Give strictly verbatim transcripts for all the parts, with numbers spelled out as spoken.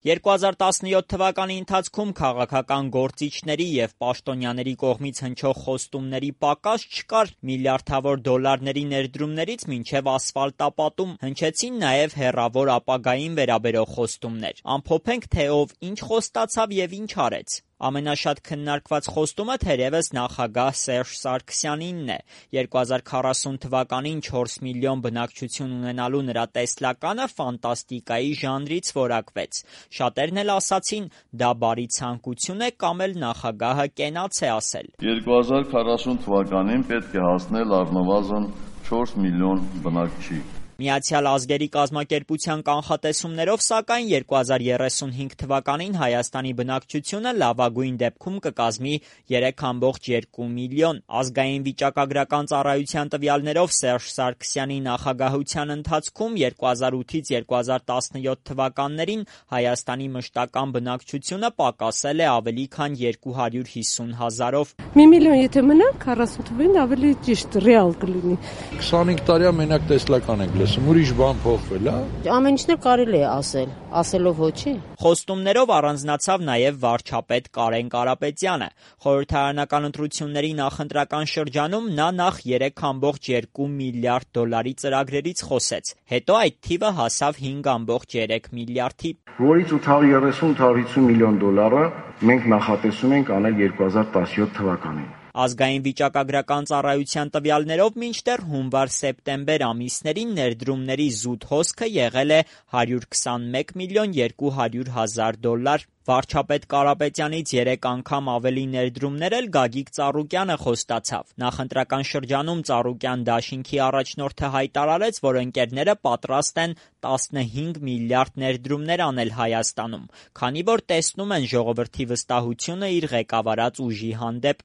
երկու հազար տասնյոթ թվականի ընթացքում քաղաքական գործիչների և պաշտոնյաների կողմից հնչող խոստումների պակաս չկար, միլիարդավոր դոլարների ներդրումներից մինչև ասֆալտապատում հնչեցին նաև հեռավոր ապագային վերաբերող խոստումներ։ Ամփոփենք, թե ով ինչ խոստացավ և ինչ արեց։ Ամենաշատ քննարկված խոստումը թերևս նախագահ Սերժ Սարգսյանինն է։ երկու հազար քառասուն թվականին չորս միլիոն բնակչություն ունենալու նրա տեսլականը ֆանտաստիկայի ժանրից որակվեց։ Շատերն էլ ասացին՝ դա բարի ցանկություն է կամ էլ նախագահը կենաց է ասել։ երկու հազար քառասուն թվականին պետք է հասնել առնվազն չորս միլիոն բնակչի։ Միացյալ ազգերի կազմակերպության կանխատեսումներով, սակայն, երկու հազար երեսունհինգ թվականին Հայաստանի բնակչությունը լավագույն դեպքում կկազմի երեք կόμma երկու միլիոն։ Ազգային վիճակագրական ծառայության տվյալներով Սերժ Սարգսյանի նախագահության ընթացքում երկու հազար ութից երկու հազար տասնյոթ թվականներին Հայաստանի մշտական բնակչությունը պակասել է ավելի քան երկու հարյուր հիսուն հազարով։ Մի միլիոն եթե մնա, քառասուն թվականին ավելի ճիշտ ռեալ կլինի։ քսանհինգ տարի մենակ տեսլական ենք լսում, ուրիշ բան փոխվել է։ Ամեն ինչն էլ կարելի է ասել, ասելով ոչի։ Խոստումներով առանձնացավ նաև վարչապետ Կարեն Կարապետյանը։ Խորհրդարանական ընտրությունների նախընտրական շրջանում նա նախ երեք կόμma երկու միլիարդ դոլարի ծրագրերից խոսեց, հետո այդ թիվը հասավ հինգ կόμma երեք միլիարդի, որից ութ հարյուր երեսուն - ութ հարյուր հիսուն միլիոն դոլարը մենք նախատեսում ենք անել երկու հազար տասնյոթ թվականին։ Ազգային վիճակագրական ծառայության տվյալներով մինչդեռ հունվար-սեպտեմբեր ամիսներին ներդրումների զուտ հոսքը եղել է հարյուր քսանմեկ միլիոն երկու հարյուր հազար դոլար։ Վարչապետ Կարապետյանից երեք անգամ ավելի ներդրումներ էլ Գագիկ Ծառուկյանը խոստացավ։ Նախընտրական շրջանում Ծառուկյան դաշինքի առաջնորդը հայտարարեց, որ ընկերները պատրաստ են տասնհինգ միլիարդ ներդրումներ անել Հայաստանում, քանի որ տեսնում են ժողովրդի վստահությունը իր ղեկավարած ուժի հանդեպ։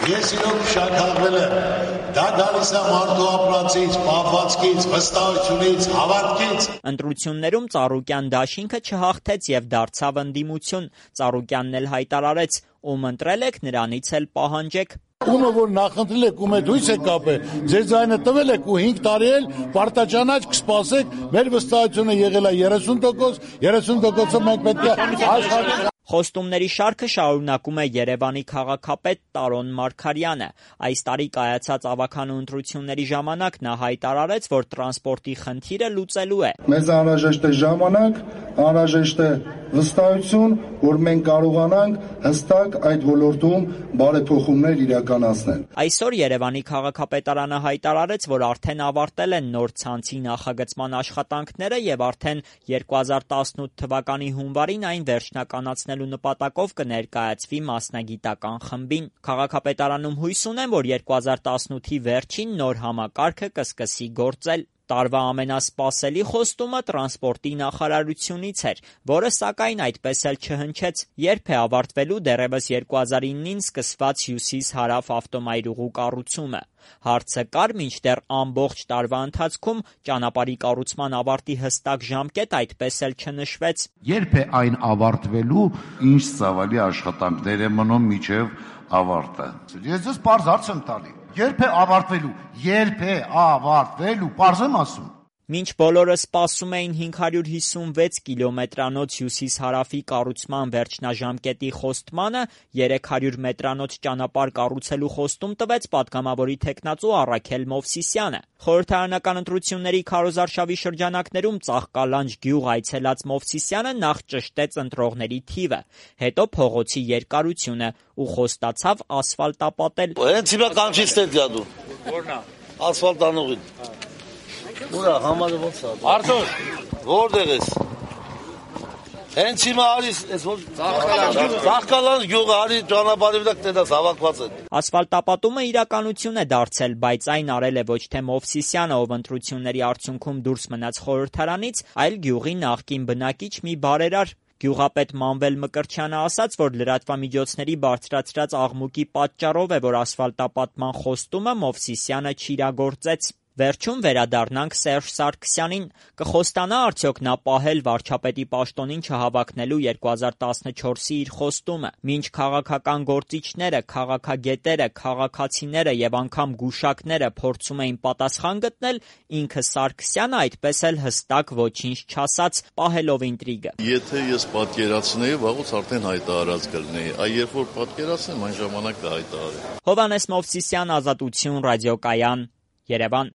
Ես իրոք շաքարվել եմ, դա գալիս է մարդու ապրածից, պահվածքից, վստահությունից, հավատքից։ Ընտրություններում Ծառուկյան դաշինքը չհաղթեց և դարձավ ընդդիմություն։ Ծառուկյանն էլ հայտարարեց՝ ում ընտրել եք, նրանից էլ պահանջեք։ Ումը որ նախընտրել եք, ում հետ հույս եք կապել, ձեր ձայնը տվել եք ու հինգ տարի էլ պարտաճանաչ կսպասեք, մեր վստահությունը եղել է երեսուն տոկոս, երեսուն տոկոսը մենք պետք է աշխատենք։ Խոստումների շարքը շարունակում է Երևանի քաղաքապետ Տարոն Մարգարյանը։ Այս տարի կայացած ավագանու ընտրությունների ժամանակ նա հայտարարեց, որ տրանսպորտի խնդիրը լուծելու է։ Մեզ անհրաժեշտ է ժամանակ, անհրաժեշտ է վստահություն, որ մենք կարողանանք հստակ այդ ոլորտում բարեփոխումներ իրականացնել։ Այսօր Երևանի քաղաքապետարանը հայտարարեց, որ արդեն ավարտել են նոր ցանցի նախագծման աշխատանքները և արդեն երկու հազար տասնութ թվականի հունվարին այն վերջնականացնելու նպատակով կներկայացվի մասնագիտական խմբին։ Քաղաքապետարանում հույս ունեն, որ երկու հազար տասնութի վերջին նոր համակարգը կսկսի գործել։ Տարվա ամենասպասելի խոստումը տրանսպորտի նախարարությունից էր, որը սակայն այդպես էլ չհնչեց։ Երբ է ավարտվելու դեռևս երկու հազար իննին սկսված Հյուսիս-Հարավ ավտոմայրուղու կառուցումը։ Հարցը կար, մինչդեռ ամբողջ տարվա ընթացքում ճանապարհի կառուցման ավարտի հստակ ժամկետ այդպես էլ չնշվեց։ Երբ է այն ավարտվելու, ինչ ծավալի աշխատանքներ է մնում մինչև ավարտը։ Ես ձեզ պարզ հարց եմ տալի։ Երբ է ավարտվելու, երբ է ավարտվելու, պարզ եմ ասում։ Մինչ բոլորը սպասում էին հինգ հարյուր հիսունվեց կիլոմետրանոց Հյուսիս-Հարավի կառուցման վերջնաժամկետի խոստմանը, երեք հարյուր մետրանոց ճանապարհ կառուցելու խոստում տվեց պատգամավորի թեկնածու Առաքել Մովսիսյանը։ Խորհրդարանական ընտրությունների քարոզարշավի շրջանակներում Ծաղկալանջ գյուղ այցելած Մովսիսյանը նախ ճշտեց ընտրողների թիվը, հետո փողոցի երկարությունը ու խոստացավ ասֆալտապատել։ Հենց հիմա կանչից դե դու։ Որն է։ Ասֆալտանողին։ Ուրա համարը ոնց է։ Արտուր, որտեղ ես։ Հենց հիմա արիս, այս որ Ծաղկալան գյուղը արի ճանապարհի վրա կտես հավաքված են։ Ասֆալտապատումը իրականություն է դարձել, բայց այն արել է ոչ թե Մովսիսյանը, ով ընտրությունների արդյունքում դուրս մնաց խորհրդարանից, այլ գյուղի նախկին բնակիչ մի բարերար։ Գյուղապետ Մանվել Մկրտչյանը ասաց, որ լրատվամիջոցների բարձրացրած աղմուկի պատճառով է, որ ասֆալտապատման խոստումը Մովսիսյանը չիրագործեց։ Վերջում վերադառնանք Սերժ Սարգսյանին, կխոստանա արդյոք նա պահել վարչապետի պաշտոնին չհավաքնելու երկու հազար տասնչորսի իր խոստումը, մինչ քաղաքական գործիչները, քաղաքագետերը, քաղաքացիները եւ անգամ գուշակները փորձում էին պատասխան գտնել, ինքը Սարգսյանը այդպես էլ հստակ ոչինչ չասաց, պահելով ինտրիգը։ Եթե ես պատկերացնեի, վաղուց արդեն հայտարարած կլինեի, այ երբ որ պատկերացնեմ, այն ժամանակ կհայտարարեմ։ Հովհաննես Մովսիսյան, Ազատություն, ռադիոկայան, Երևան։